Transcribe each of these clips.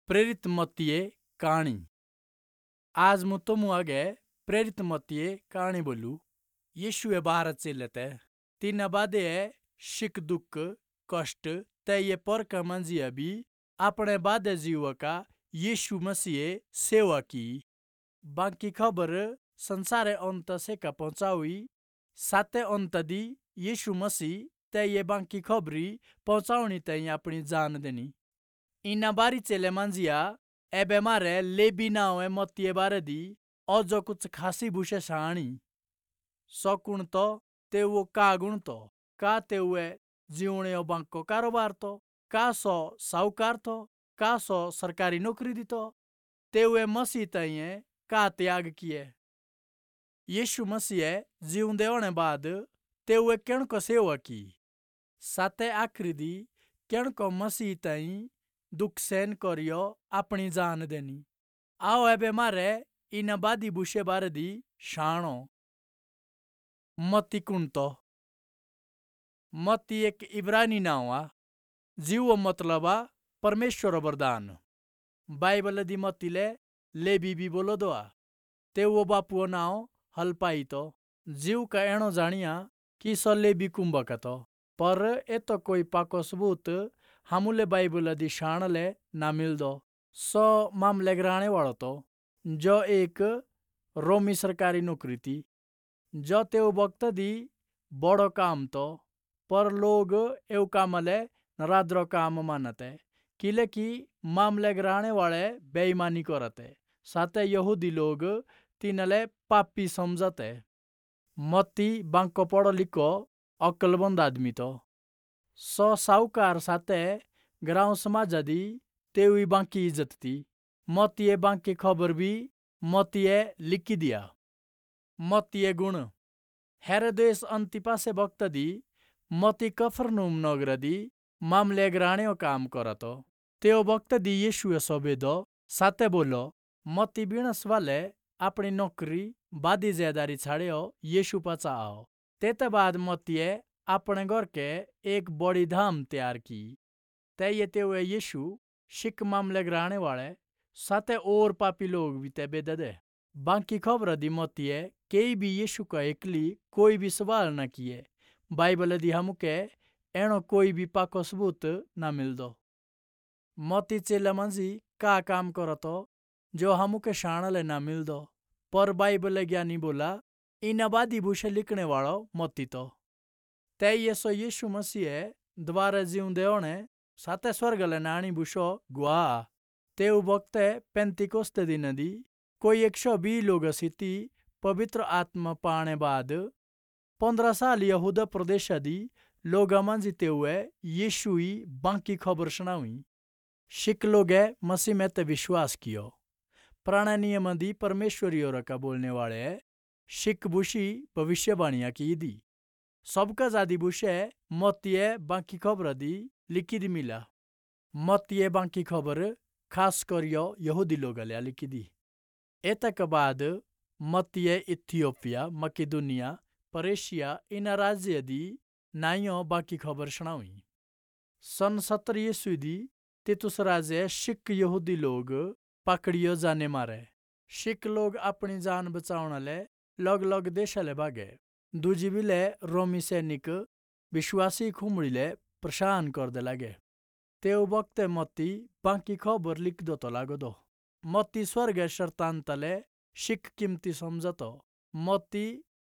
प्रेरित मत्तीए कहानी। आज मु तुमु आगे प्रेरित मत्तीए कहानी बोलू। यीशुए 12 चेले ते तीन बादे शिक दुख कष्ट ते ये परका मंजिया भी अपने बादे जीव का यीशु मसीह सेवा की। बाकी खबर संसारे अंत से का पहुंचाई। साते अंत दी यीशु मसीह ते ये बाकी खबरी पहुंचाउनी तई अपनी जान देनी। इना बारी चेले मंजिया एबे मारे लेबी नाव मत्तीए बारे दी और जो कुछ खासी भूषे शाणी सो कुण तो ते वो का गुण तो का ते हुए जीवने बांको कारोबार तो का सो साहूकार तो का सो सरकारी नौकरी दी तो ते हुए मसीह तई का त्याग किए। यीशु मसीह जीवंदे होने बाद ते हुए केण को सेवा की। साते आखिरी दी केण को मसीह तई दुख सहन करियो अपनी जान देनी। आओ एबे मारे इन बादी भूषे बारे दी शाणो। मत्ती कुण तो? मत्ती एक इब्रानी नाव आ जीवो मतलब आ परमेश्वर वरदान। बाइबल दी मत्ती ले लेबी भी बोलो दो आ। ते वो बापुओ नाव हलपाई तो जीव का एणो जानिया कि सो लेबी कुंभा का तो, पर ए तो कोई पाको सबूत हमूले बाइबल दी शाण ले ना मिल दो। सो मामले ग्राने वालो तो जो एक रोमी सरकारी नौकरी थी जो ते वक्त दी बड़ो काम तो, पर लोग एव काम ले नराद्रो काम मानते किले की मामले ग्राने वाले बेईमानी करते साथे यहूदी लोग तीनले पापी समझते। मत्ती बांको पढ़ो लिखो अक्लमंद आदमी तो सो साहूकार साथे ग्राम समाज दी तेवी बांकी इज्जत थी। मत्तीए बांकी खबर भी मत्तीए लिखी दिया। मत्तीए गुण हेरोदेस अंतिपासे वक्त दी मत्ती कफरनहूम नगर दी मामले ग्राणे काम करतो। तेव वक्त दी यीशुए सो साथे बोलो मत्ती बिणस वाले अपनी नौकरी बादी जयदारी छाड़ियो यीशु पाचा आओ। तेते बाद मत्तीए अपने घर के एक बड़ी धाम तैयार की। ते ये ते हुए यीशु शिक मामले ग्राने वाले साथे और पापी लोग भी ते बेदे दे। बाकी खबर दी मत्तीए कई भी यीशु का एकली कोई भी सवाल ना किए। बाइबल दी हमके एणो कोई भी पाको सबूत ना मिलदो। मत्ती चेला मंजी का काम करतो जो हमके शाण ले ना मिलदो, पर बाइबल ज्ञानी बोला इन बादी भूषे लिखने वालो मत्ती तो। ते ये सो यीशु मसीह द्वारा जीवंदे होने साते स्वर्ग ले नाणी भूषो गुआ। ते वक्त पेंतिकोस्ते दिन दी कोई 120 लोग सीती पवित्र आत्मा पाने बाद 15 साल यहूदा प्रदेश दी लोग मंजी ते हुए यीशु ही बाकी खबर सुनाई। शिक लोगे मसीह में ते विश्वास कियो। पुराना नियम दी परमेश्वरी और का बोलने वाले शिक भूषी भविष्यवाणियां की दी। सबका जादी भूषे मत्तीए बाकी खबर दी लिखी दी मिला। मत्तीए बाकी खबर खास करियो यहूदी लोग लिखी दी। एतक बाद मत्तीए इथियोपिया मकिदुनिया परेशिया इन राज्य दी नाइयो बाकी खबर सुनाई। सन 70 यीशु दी तितुस राज्य शिक यहूदी लोग पकड़ियो जाने मारे। शिक लोग अपनी जान बचाउन ले लग लग देशा ले भागे। दूजी बिले रोमी सैनिक विश्वासी खुमड़ी ले परेशान कर दे लगे। ते वक्त मत्ती बाकी खबर लिख दो तो लागो दो। मत्ती स्वर्ग शरतान तले शिक कीमती समझतो। मत्ती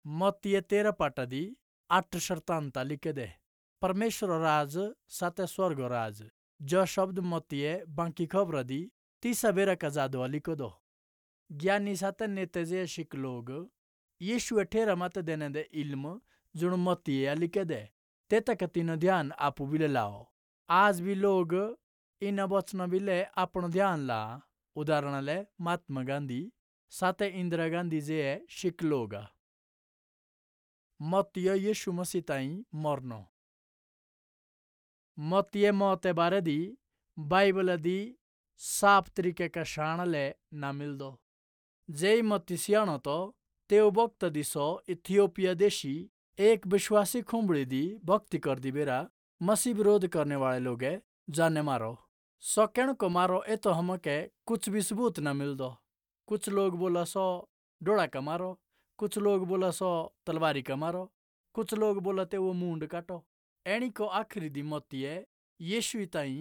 मत्तीए 13 पाटा दी 8 शरतानता लिखे दे। परमेश्वर राज साथे स्वर्ग राज जो शब्द मत्तीए बाकी खबर दी 30 बेरा का जादुआ लिखो दो। ज्ञानी साथे नेते जे शिक लोग यीशु ठेरा मत देने दे इल्म जुण मत्तीए लिखे दे ते तक तीन ध्यान आपू भी ले लाओ। आज भी लोग इन वचन भी ले अपनो ध्यान ला। उदाहरण ले महात्मा गांधी साथे इंदिरा गांधी जे शिक लोग। मत्तीए यीशु मसीह ताई मरनो। मत्तीए मौत बारे दी बाइबल दी साफ तरीके का शाण ले ना मिलदो। जे मत्ती सियाणो तो तेव वक्त दी सो इथियोपिया देशी एक विश्वासी खुंबड़ी दी भक्ति कर दी बेरा मसीह विरोध करने वाले लोगे जाने मारो। सो केणको मारो ए तो हमके कुछ भी सबूत ना मिलदो। कुछ लोग बोला सो डोड़ा का मारो, कुछ लोग बोला सो तलवारी का मारो, कुछ लोग बोला ते वो मुंड काटो। एणी को आखिरी दी मत्ती है यीशु ताई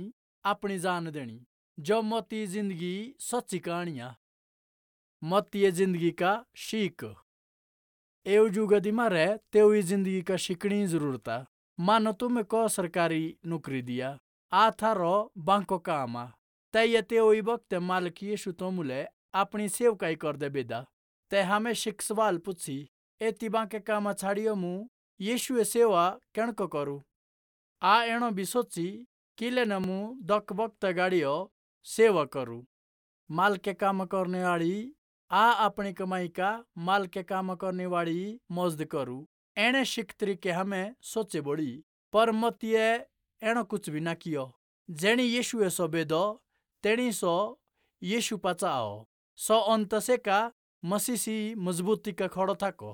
अपनी जान देनी। जो मत्ती जिंदगी सच्ची कहानी है। मत्ती जिंदगी का सीख। एव जुग दी मारे तेवी जिंदगी का सीखनी जरूरत है। मानो तुम्हें को सरकारी नौकरी दिया, आ थारो बांको काम आ। तै तेवी वक्त मालिक यीशु तुमले अपनी सेवकाई कर दे बेदा। ते हमें शिक सवाल पूछी, एती बांके काम छाड़ियो मु यीशु सेवा केणको करू। आ एणो भी सोची किले न मु दक वक्त गाड़ियो सेवा करू। माल के काम करने वाली आ अपनी कमाई का माल के काम करने वाली मौज करू। एणे शिक तरीके हमें सोचे बोली, पर मत्तीए एणो कुछ भी ना कियो। जेणी यीशु सो बेदो तेणी सो यीशु पाचा आओ। सो अंत से का मसीसी मजबूती का खड़ो थाको।